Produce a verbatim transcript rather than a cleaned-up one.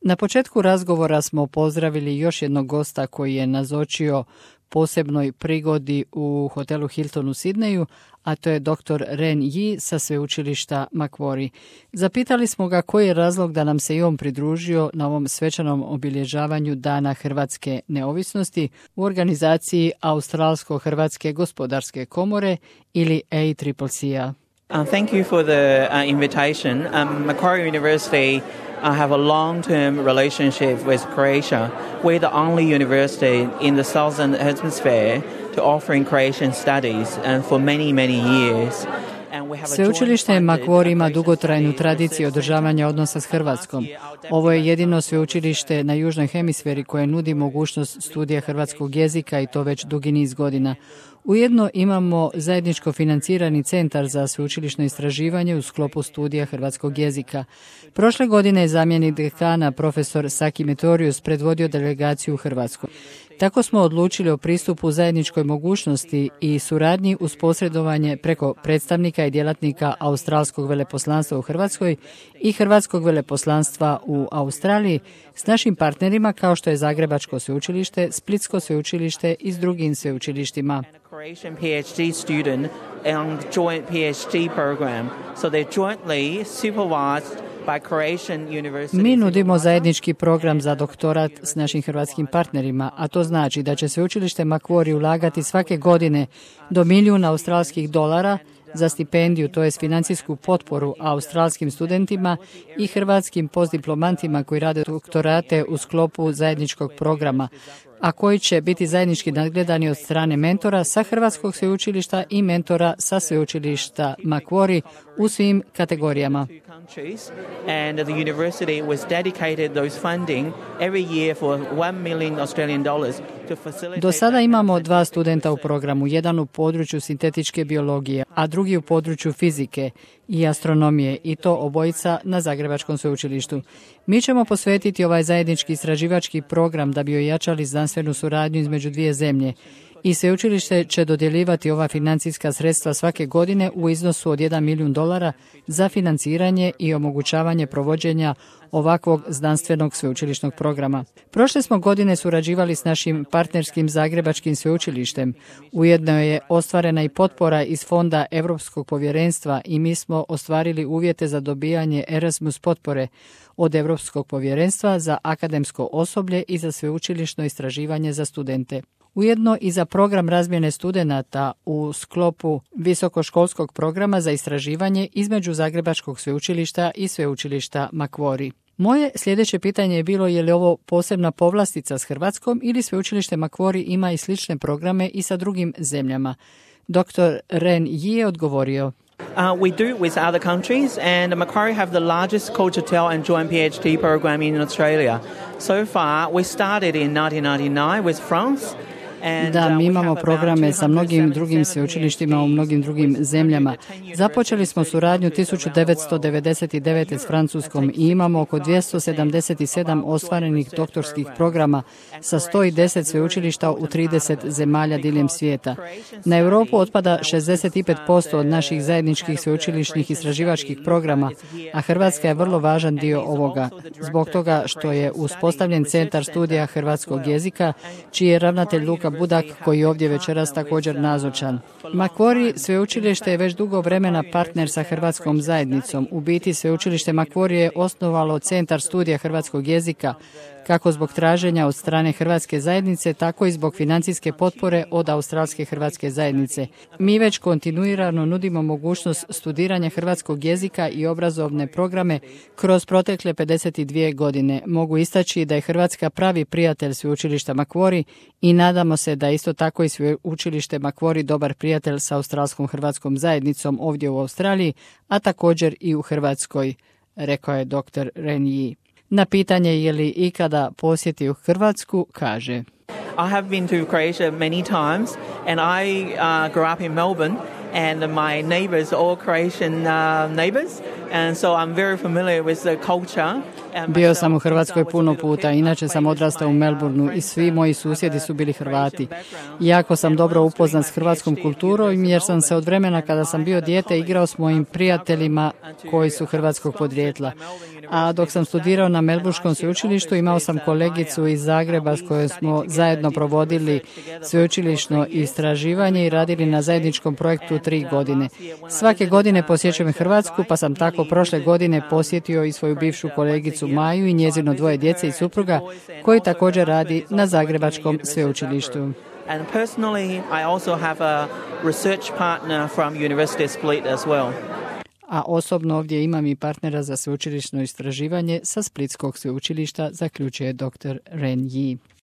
Na početku razgovora smo pozdravili još jednog gosta koji je nazočio posebnoj prigodi u hotelu Hilton u Sidneju, a to je doktor Ren Yi sa sveučilišta Macquarie. Zapitali smo ga koji je razlog da nam se i on pridružio na ovom svečanom obilježavanju Dana Hrvatske neovisnosti u organizaciji Australsko-Hrvatske gospodarske komore ili A C C C-a. Uh, thank you for the uh, invitation. Um, Macquarie University I have a long-term relationship with Croatia. We're the only university in the southern hemisphere to offering Croatian studies and for many, many years. Sveučilište Macquarie ima dugotrajnu tradiciju održavanja odnosa s Hrvatskom. Ovo je jedino sveučilište na južnoj hemisferi koje nudi mogućnost studija hrvatskog jezika i to već dugi niz godina. Ujedno imamo zajedničko financirani centar za sveučilišno istraživanje u sklopu studija hrvatskog jezika. Prošle godine je zamjenik dekana profesor Saki Metorius predvodio delegaciju u Hrvatskoj. Tako smo odlučili o pristupu zajedničkoj mogućnosti i suradnji uz posredovanje preko predstavnika i djelatnika Australskog veleposlanstva u Hrvatskoj i Hrvatskog veleposlanstva u Australiji s našim partnerima kao što je Zagrebačko sveučilište, Splitsko sveučilište i s drugim sveučilištima. Croatian PhD student on joint PhD program, so they're jointly supervised by Croatian University. Mi nudimo zajednički program za doktorat s našim hrvatskim partnerima, a to znači da će sveučilište Macquarie ulagati svake godine do milijuna australskih dolara za stipendiju, to je financijsku potporu australskim studentima i hrvatskim postdiplomantima koji rade doktorate u sklopu zajedničkog programa, a koji će biti zajednički nadgledani od strane mentora sa Hrvatskog sveučilišta i mentora sa sveučilišta Macquarie u svim kategorijama. And the university was dedicated those funding every year for one million Australian dollars to facilitate. Do sada imamo dva studenta u programu, jedan u području sintetičke biologije, a drugi u području fizike i astronomije, i to obojica na Zagrebačkom sveučilištu. Mi ćemo posvetiti ovaj zajednički istraživački program da bi ojačali znanstvenu suradnju između dvije zemlje. I sveučilište će dodjeljivati ova financijska sredstva svake godine u iznosu od jedan milijun dolara za financiranje i omogućavanje provođenja ovakvog znanstvenog sveučilišnog programa. Prošle smo godine surađivali s našim partnerskim Zagrebačkim sveučilištem. Ujedno je ostvarena i potpora iz Fonda Europskog povjerenstva i mi smo ostvarili uvjete za dobijanje Erasmus potpore od Europskog povjerenstva za akademsko osoblje i za sveučilišno istraživanje za studente. Ujedno i za program razmjene studenata u sklopu visokoškolskog programa za istraživanje između Zagrebačkog sveučilišta i sveučilišta Macquarie. Moje sljedeće pitanje je bilo je li ovo posebna povlastica s Hrvatskom ili sveučilište Macquarie ima i slične programe i sa drugim zemljama. doktor Ren Yi je odgovorio. Uh, we do it with other countries, and Macquarie have the largest co-tutel and joint PhD program in Australia. So far, we started in nineteen ninety-nine with France. Da, mi imamo programe sa mnogim drugim sveučilištima u mnogim drugim zemljama. Započeli smo suradnju tisuću devetsto devedeset devete s Francuskom i imamo oko dvjesto sedamdeset sedam ostvarenih doktorskih programa sa sto deset sveučilišta u trideset zemalja diljem svijeta. Na Europu otpada šezdeset pet posto od naših zajedničkih sveučilišnih istraživačkih programa, a Hrvatska je vrlo važan dio ovoga, zbog toga što je uspostavljen Centar studija hrvatskog jezika, čiji je ravnatelj Luka Budak, koji je ovdje večeras također nazočan. Macquarie sveučilište je već dugo vremena partner sa hrvatskom zajednicom. U biti sveučilište Macquarie je osnovalo Centar studija hrvatskog jezika, kako zbog traženja od strane hrvatske zajednice, tako i zbog financijske potpore od Australske hrvatske zajednice. Mi već kontinuirano nudimo mogućnost studiranja hrvatskog jezika i obrazovne programe kroz protekle pedeset dvije godine. Mogu istaći da je Hrvatska pravi prijatelj sveučilišta Macquarie i nadamo se da isto tako i sveučilište Macquarie dobar prijatelj sa Australskom hrvatskom zajednicom ovdje u Australiji, a također i u Hrvatskoj, rekao je doktor Ren Yi. Na pitanje je li ikada posjetio Hrvatsku, kaže: I have been to Croatia many times, and I uh, grew up in Melbourne, and my neighbours are all Croatian uh, neighbours, And so I'm very familiar with the culture. Bio sam u Hrvatskoj puno puta, inače sam odrastao u Melbourneu i svi moji susjedi su bili Hrvati. Jako sam dobro upoznat s hrvatskom kulturom jer sam se od vremena kada sam bio dijete igrao s mojim prijateljima koji su hrvatskog podrijetla. A dok sam studirao na Melbourneskom sveučilištu imao sam kolegicu iz Zagreba s kojom smo zajedno provodili sveučilišno istraživanje i radili na zajedničkom projektu tri godine. Svake godine posjećujem Hrvatsku, pa sam tako prošle godine posjetio i svoju bivšu kolegicu Maju i njezino dvoje djece i supruga koji također radi na Zagrebačkom sveučilištu. And personally, I also have a research partner from University of Split as well. A osobno ovdje imam i partnera za sveučilišno istraživanje sa Splitskog sveučilišta, zaključuje doktor Ren Yi.